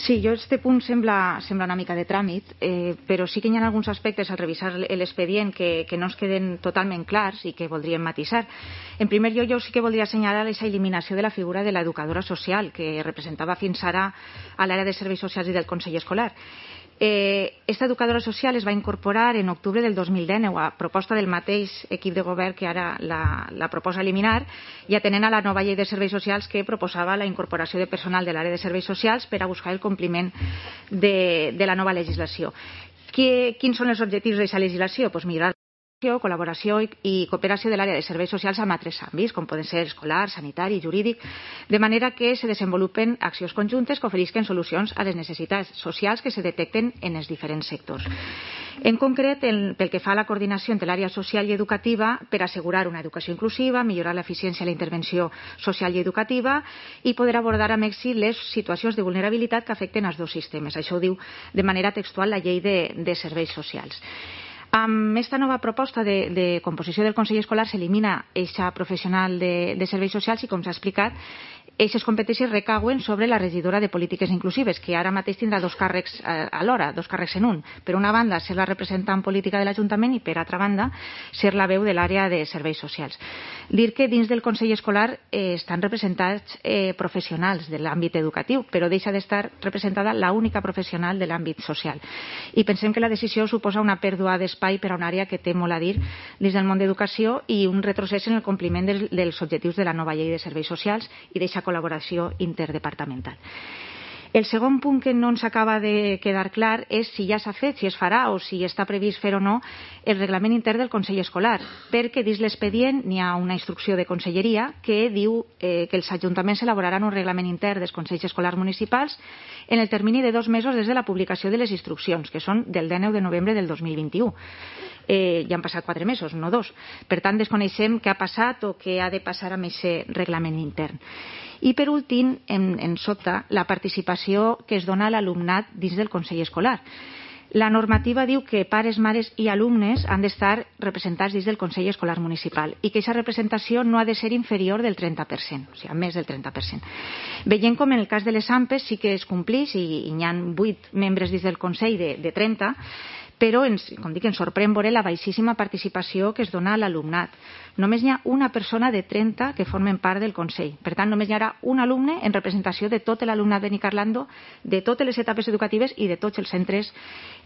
Sí, jo este punt sembla una mica de tràmit, però sí que hi ha alguns aspectes al revisar l'expedient que no ens queden totalment clars i que voldríem matisar. En primer lloc, jo sí que voldria assenyalar aquesta eliminació de la figura de l'educadora social que representava fins ara a l'àrea de serveis socials i del Consell Escolar. Esta educadora social es va incorporar en octubre del 2019 a proposta del mateix equip de govern que ara la proposa eliminar i atenent a la nova llei de serveis socials que proposava la incorporació de personal de l'àrea de serveis socials per a buscar el compliment de la nova legislació. Quins són els objectius d'aquesta legislació? Pues millorar col·laboració i cooperació de l'àrea de serveis socials amb altres àmbits, com poden ser escolar, sanitari, jurídic, de manera que se desenvolupen accions conjuntes que oferisquen solucions a les necessitats socials que se detecten en els diferents sectors. En concret, pel que fa a la coordinació entre l'àrea social i educativa per assegurar una educació inclusiva, millorar l'eficiència de la intervenció social i educativa i poder abordar amb èxit les situacions de vulnerabilitat que afecten els dos sistemes. Això ho diu de manera textual la llei de serveis socials. Amb aquesta nova proposta de composició del Consell Escolar s'elimina aquesta professional de serveis socials i, com s'ha explicat, aquestes competències recauen sobre la regidora de polítiques inclusives, que ara mateix tindrà dos càrrecs alhora, dos càrrecs en un. Per una banda, ser la representant política de l'Ajuntament i, per altra banda, ser la veu de l'àrea de serveis socials. Dir que dins del Consell Escolar estan representats professionals de l'àmbit educatiu, però deixa d'estar representada l'única professional de l'àmbit social. I pensem que la decisió suposa una pèrdua d'espai per a una àrea que té molt a dir dins del món d'educació i un retrocés en el compliment dels objectius de la nova llei de serveis socials i d'aquesta col·laboració interdepartamental. El segon punt que no ens acaba de quedar clar és si ja s'ha fet, si es farà o si està previst fer o no el reglament intern del Consell Escolar, perquè dins l'expedient n'hi ha una instrucció de conselleria que diu que els ajuntaments elaboraran un reglament intern dels Consells Escolars Municipals en el termini de 2 mesos des de la publicació de les instruccions, que són del 19 de novembre del 2021. Ja han passat 4 mesos, no 2. Per tant, desconeixem què ha passat o què ha de passar amb aquest reglament intern. I, per últim, en sota, la participació que es dona a l'alumnat dins del Consell Escolar. La normativa diu que pares, mares i alumnes han d'estar representats dins del Consell Escolar Municipal i que aquesta representació no ha de ser inferior del 30%, o sigui, més del 30%. Veient com en el cas de les AMPEs sí que es compleix i hi ha 8 membres dins del Consell de 30, però, com dic, ens sorprèn veure la baixíssima participació que es dona a l'alumnat. Només hi ha una persona de 30 que formen part del Consell. Per tant, només hi haurà un alumne en representació de tot l'alumnat de Nicarlando, de totes les etapes educatives i de tots els centres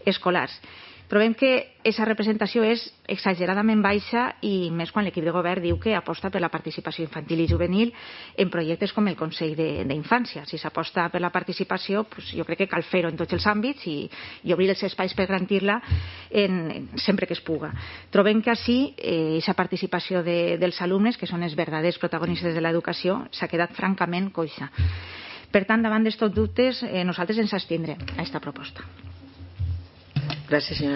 escolars. Trobem que aquesta representació és exageradament baixa i més quan l'equip de govern diu que aposta per la participació infantil i juvenil en projectes com el Consell d'Infància. Si s'aposta per la participació, jo crec que cal fer-ho en tots els àmbits i obrir els espais per garantir-la sempre que es puga. Trobem que així aquesta participació dels alumnes, que són els verdaders protagonistes de l'educació, s'ha quedat francament coixa. Per tant, davant d'estos dubtes, nosaltres ens abstindrem a aquesta proposta. Gràcies, senyora.